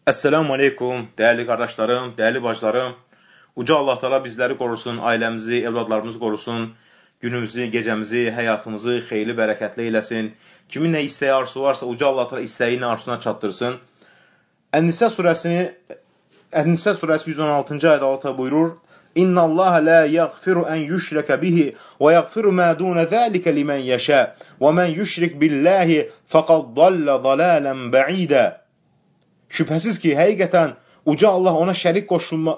Esselamu Aleyküm, değerli kardeşlerim, değerli bacılarım. Uca Allah Teala bizləri qorusun, ailəmizi, evladlarımızı qorusun, günümüzü, gecəmizi, həyatımızı xeyirli, bərəkətli eyləsin. Kimin nə istəyi, arzusu varsa Uca Allah Teala istəyini arzusuna çatdırsın. Ən-Nisa surəsi 116-cı ayədə Allah buyurur: İnna Allah la yaghfiru an yushraka bihi və yaghfiru ma dun zalika limen yasha və men yushrik billahi faqad dalla dalalan ba'ida. Şübhəsiz ki, həqiqətən Uca Allah ona şərik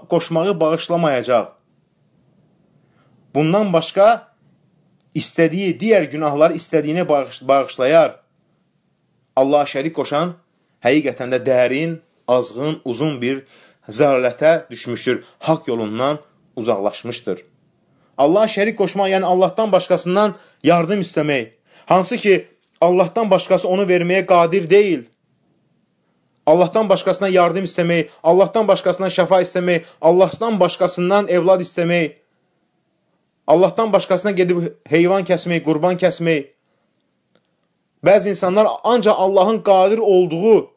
qoşmağı bağışlamayacaq. Bundan başqa istədiyi digər günahlar istədiyini bağışlayar. Allaha şərik qoşan həqiqətən də dərin, azğın, uzun bir zəlalətə düşmüşdür. Haqq yolundan uzaqlaşmışdır. Allaha şərik qoşmaq, yəni Allahdan başqasından yardım istəmək. Hansı ki, Allahdan başqası onu verməyə qadir deyil. Allahdan başqasından yardım istəmək, Allahdan başqasından şəfa istəmək, Allahdan başqasından evlad istəmək, Allahdan başqasına gedib heyvan kəsmək, qurban kəsmək. Bəzi insanlar ancaq Allahın qadir olduğu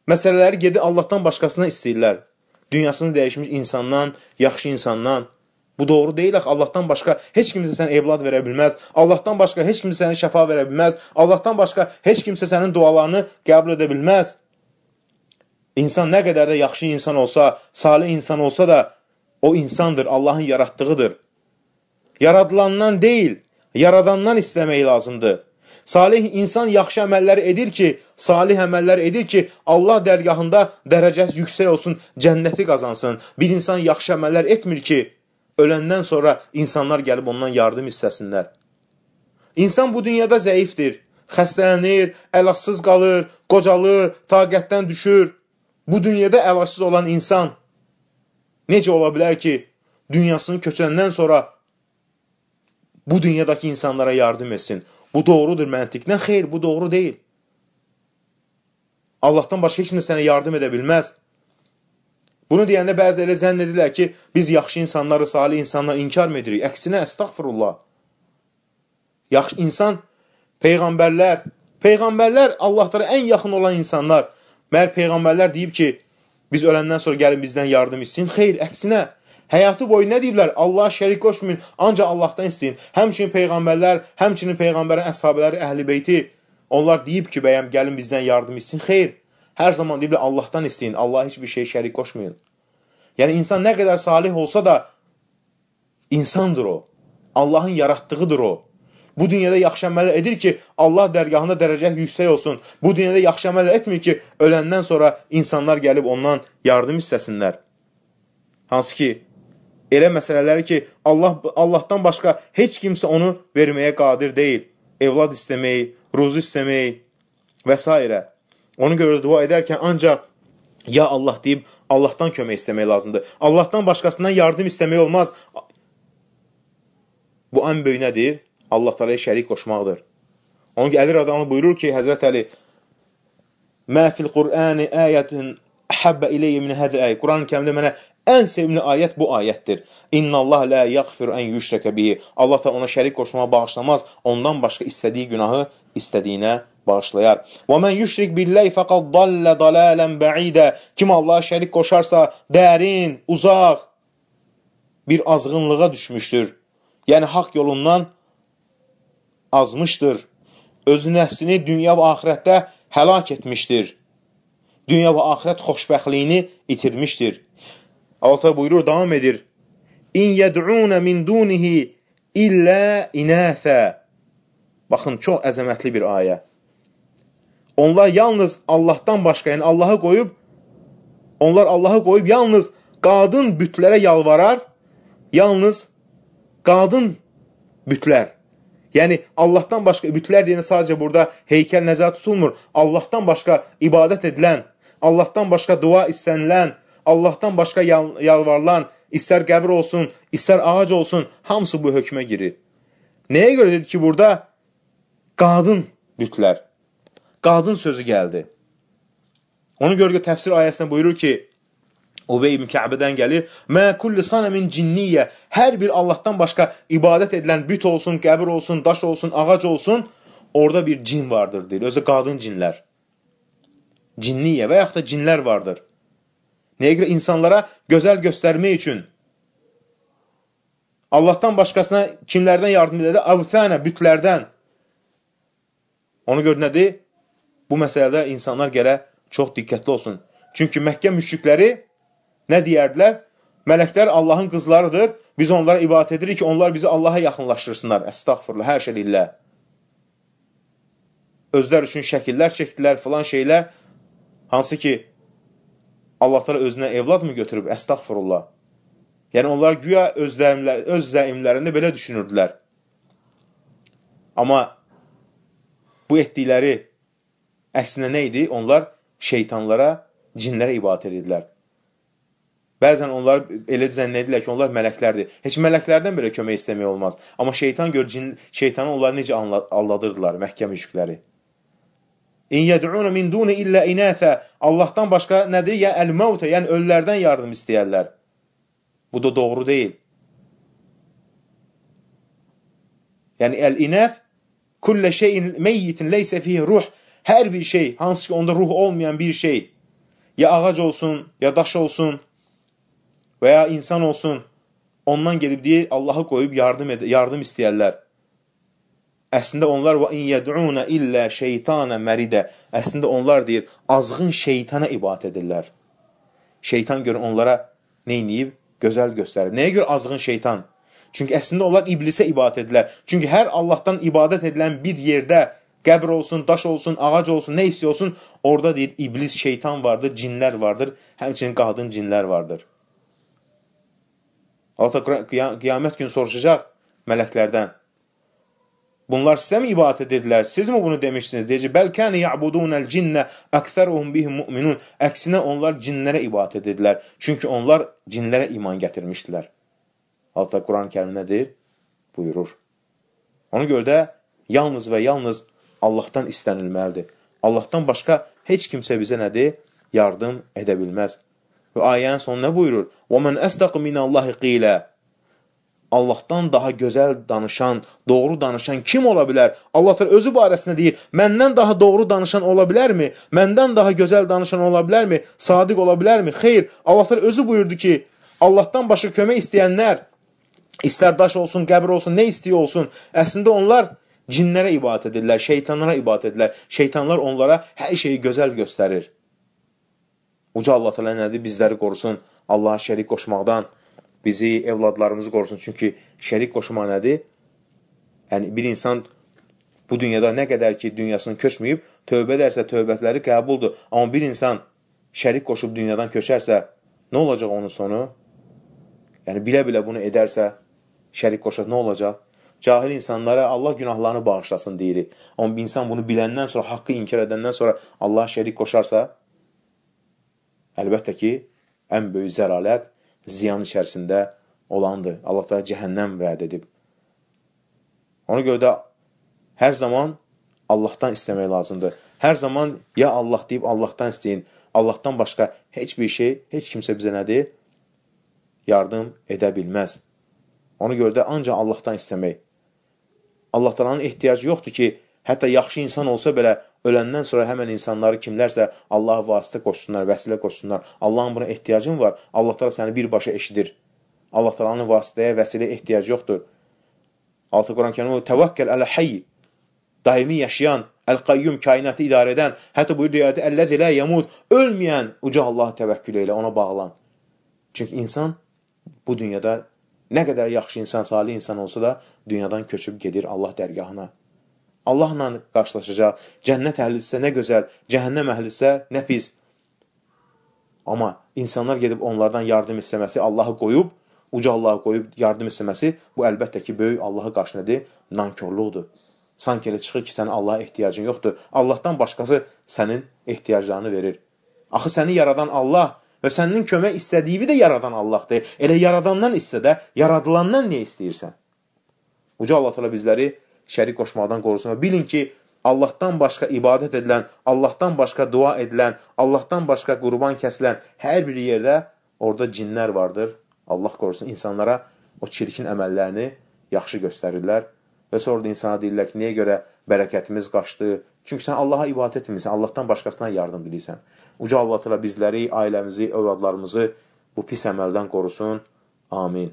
məsələləri gedib Allahdan başqasına istəyirlər. Dünyasını dəyişmiş insandan, yaxşı insandan. Bu doğru deyil, Allahdan başqa heç kimsə sənə evlad verə bilməz, Allahdan başqa heç kimsə sənə şəfa verə bilməz, Allahdan başqa heç kimsə sənin dualarını qəbul edə bilməz. İnsan nə qədər də yaxşı insan olsa, salih insan olsa da, o insandır, Allahın yaratdığıdır. Yaradılandan deyil, yaradandan istəmək lazımdır. Salih insan yaxşı əməllər edir ki, Allah dərgahında dərəcəsi yüksək olsun, cənnəti qazansın. Bir insan yaxşı əməllər etmir ki, öləndən sonra insanlar gəlib ondan yardım istəsinlər. İnsan bu dünyada zəifdir, xəstələnir, əlacsız qalır, qocalır, taqətdən düşür. Bu dünyada əlacsız olan insan necə ola bilər ki, dünyasını köçəndən sonra bu dünyadakı insanlara yardım etsin? Bu doğrudur məntiqdən? Xeyr, bu doğru deyil. Allahdan başqa heç nə sənə yardım edə bilməz. Bunu deyəndə bəziləri zənn edirlər ki, biz yaxşı insanları, salih insanları inkar mı edirik? Əksinə, əstəğfirullah. Yaxşı insan, Peyğəmbərlər Allahlara ən yaxın olan insanlar. Məhər Peyğəmbərlər deyib ki, biz öləndən sonra gəlin bizdən yardım istəyin. Xeyr, əksinə, həyatı boyu nə deyiblər? Allah şərik qoşmayın, ancaq Allahdan istəyin. Həmçinin Peyğəmbərlər, həmçinin Peyğəmbərin əshabələri, əhl-i beyti, onlar deyib ki, bəyəm, gəlin bizdən yardım istəyin. Xeyr, hər zaman deyiblər Allahdan istəyin, Allah heç bir şey şərik qoşmayın. Yəni, insan nə qədər salih olsa da, insandır o. Allahın yaratdığıdır o. Bu dünyada yaxşı əmələ edir ki, Allah dərgahında dərəcə yüksək olsun. Bu dünyada yaxşı əmələ etmir ki, öləndən sonra insanlar gəlib ondan yardım istəsinlər. Hansı ki, elə məsələləri ki, Allahdan başqa heç kimsə onu verməyə qadir deyil. Evlad istəmək, ruzu istəmək və s. Onu görə dua edərkən ancaq ya Allah deyib, Allahdan kömək istəmək lazımdır. Allahdan başqasından yardım istəmək olmaz. Bu ən böyük nədir? Allah Teala'ya şərik qoşmaqdır. Onun ki, Əli radiyallahu anh buyurur ki, Həzrət Əli, Mə fil Qur'ani ayətin əhəbbə iləyyə min hədə əyə. Quran-ı Kərimdə mənə ən sevimli ayət bu ayətdir. İnna Allah la yaghfiru an yushraka bihi. Allah Teala ona şərik qoşmağa bağışlamaz, ondan başqa istədiyi günahı istədiyinə bağışlayar. Və mən yushrik billahi faqad dalla dalalan ba'ida. Kim Allaha şərik qoşarsa, dərin, uzaq bir azğınlığa düşmüşdür. Yəni haqq yolundan azmışdır. Özü nəfsini dünya və axirətdə həlak etmişdir. Dünya və axirət xoşbəxtliyini itirmişdir. Allah buyurur, davam edir. İn yəd'unə min dunihi illə inəthə. Baxın, çox əzəmətli bir ayə. Onlar yalnız Allahdan başqa, yəni Allahı qoyub yalnız qadın bütlərə yalvarar, yalnız qadın bütlər. Yəni, Allahdan başqa, bütlər deyəndə sadəcə burada heykəl nəzərdə tutulmur. Allahdan başqa ibadət edilən, Allahdan başqa dua istənilən, Allahdan başqa yalvarılan, istər qəbir olsun, istər ağac olsun, hamısı bu hökmə girir. Nəyə görə dedi ki, burada qadın bütlər, qadın sözü gəldi. Onu görə təfsir ayəsində buyurur ki, Ubey ibn Kəbədən gəlir. Mə kulli sanəmin cinniyyə. Hər bir Allahdan başqa ibadət edilən büt olsun, qəbir olsun, daş olsun, ağac olsun, orada bir cin vardır, deyir. Özü qadın cinlər. Cinniyyə və yaxud da cinlər vardır. Nəyə görə? İnsanlara gözəl göstərmək üçün. Allahdan başqasına kimlərdən yardım edir? Avthənə, bütlərdən. Ona görə nədir? Bu məsələdə insanlar gələ çox diqqətli olsun. Çünki Məkkə müşrikləri nə deyərdilər? Mələklər Allahın qızlarıdır. Biz onlara ibadət edirik ki, onlar bizi Allaha yaxınlaşdırsınlar. Əstəğfurullah, hər şey illə. Özlər üçün şəkillər çəkdilər, filan şeylər. Hansı ki, Allahlar özünə evlad mı götürüb? Əstəğfurullah. Yəni, onlar güya öz zəimlərində belə düşünürdülər. Amma bu etdikləri əksinə nə idi? Onlar şeytanlara, cinlərə ibadət edirlər. Bəzən onlar elə zənn edirlər ki, onlar mələklərdir. Heç mələklərdən belə kömək istəmək olmaz. Amma şeytan gör, şeytanı onları necə aldadırdılar, Məkkə müşrikləri. İn yəd'un min duni illə inəsə. Allahdan başqa nədir? Ya əl-məvtə, yəni ölülərdən yardım istəyərlər. Bu da doğru deyil. Yəni əl-inəf kullə şeyin meyyitin leysə fihi ruh. Hər bir şey, hansı ki onda ruh olmayan bir şey, ya ağac olsun, ya daş olsun, və ya insan olsun, ondan gedib deyə Allahı qoyub yardım istəyərlər. Əslində onlar və in yəd'una illə şeytana məridə. Əslində onlar deyir, azğın şeytana ibadət edirlər. Şeytan görə onlara nə edib? Gözəl göstərir. Nəyə görə azğın şeytan? Çünki əslində onlar iblisə ibadət edirlər. Çünki hər Allahdan ibadət edilən bir yerdə qəbr olsun, daş olsun, ağac olsun, nə istəyir olsun, orada deyir, iblis, şeytan vardır, cinlər vardır, həmçinin qadın cinlər vardır. Allah qiyamət günü soruşacaq mələklərdən. Bunlar sizə mi ibadət edirlər? Siz mi bunu demişsiniz? Deyəcək, bəlkəni ya'budunəl cinnə əksəruhum bihim mu'minun. Əksinə onlar cinlərə ibadət edirlər. Çünki onlar cinlərə iman gətirmişdilər. Allah Quran-ı Kərim nədir? Buyurur. Ona görə də yalnız və yalnız Allahdan istənilməlidir. Allahdan başqa heç kimsə bizə nədir? Yardım edə bilməz. Və ayənin sonu nə buyurur? وَمَنْ أَسْتَقُ مِنَ اللّٰهِ قِيلَ. Allahdan daha gözəl danışan, doğru danışan kim ola bilər? Allah özü barəsində deyir, məndən daha doğru danışan ola bilərmi? Məndən daha gözəl danışan ola bilərmi? Sadiq ola bilərmi? Xeyr, Allah özü buyurdu ki, Allahdan başqa kömək istəyənlər, istər daş olsun, qəbir olsun, nə istəyə olsun, əslində onlar cinlərə ibadət edirlər, şeytanlara ibadət edirlər. Şeytanlar onlara hər şeyi gözəl göstərir. Uca Allah təala nədir? Bizləri qorusun Allaha şərik qoşmaqdan, bizi, evladlarımızı qorusun. Çünki şərik qoşmaq nədir? Yəni, bir insan bu dünyada nə qədər ki, dünyasını köçməyib, tövbə edərsə, tövbətləri qəbuldur. Amma bir insan şərik qoşub dünyadan köçərsə, nə olacaq onun sonu? Yəni, bilə-bilə bunu edərsə, şərik qoşaq nə olacaq? Cahil insanlara Allah günahlarını bağışlasın deyirik. Amma bir insan bunu biləndən sonra, haqqı inkar edəndən sonra Allah şərik qoşarsa, əlbəttə ki, ən böyük zəralət ziyan içərisində olandır. Allah da cəhənnəm vəd edib. Ona görə də hər zaman Allahdan istəmək lazımdır. Hər zaman ya Allah deyib Allahdan istəyin. Allahdan başqa heç bir şey, heç kimsə bizə nədir? Yardım edə bilməz. Ona görə də ancaq Allahdan istəmək. Allah Taala'nın ehtiyacı yoxdur ki, hətta yaxşı insan olsa belə öləndən sonra həmən insanları kimlərsə Allaha vasitə qoşsunlar, vəsilə qoşsunlar. Allahın buna ehtiyacın var. Allah Taala səni birbaşa eşidir. Allah Taala'nın vasitəyə, vəsilə ehtiyacı yoxdur. Altı Quran-ı Kərimdə təvəkkəl ələ hayy, daimi yaşayan, əl-qayyum, kainatı idarə edən, hətta buyurdu ayədə əlləzi la yamut, ölməyən uca Allaha təvəkkül elə, ona bağlan. Çünki insan bu dünyada nə qədər yaxşı insan, salih insan olsa da dünyadan köçüb gedir Allah dərgahına. Allahla qarşılaşacaq. Cənnət əhlisə nə gözəl, cəhənnəm əhlisə nə pis. Amma insanlar gedib onlardan yardım istəməsi, Allahı qoyub, uca Allahı qoyub yardım istəməsi, bu əlbəttə ki, böyük Allahı qarşıladır, nankörluqdur. Sanki elə çıxır ki, sənin Allaha ehtiyacın yoxdur. Allahdan başqası sənin ehtiyaclarını verir. Axı səni yaradan Allah və sənin kömək istədiyi də yaradan Allahdır. Elə yaradandan istədə, yaradılandan niyə istəyirsən? Uca Allah Teala bizləri şərik qoşmaqdan qorusun və bilin ki, Allahdan başqa ibadət edilən, Allahdan başqa dua edilən, Allahdan başqa qurban kəsilən hər bir yerdə orada cinlər vardır. Allah qorusun insanlara o çirkin əməllərini yaxşı göstərirlər Və sonra da insana deyirlər ki, niyə görə bərəkətimiz qaçdı? Çünki sən Allaha ibadət etmirsən, Allahdan başqasına yardım diləyirsən. Uca Allah təala bizləri, ailəmizi, övladlarımızı bu pis əməldən qorusun. Amin.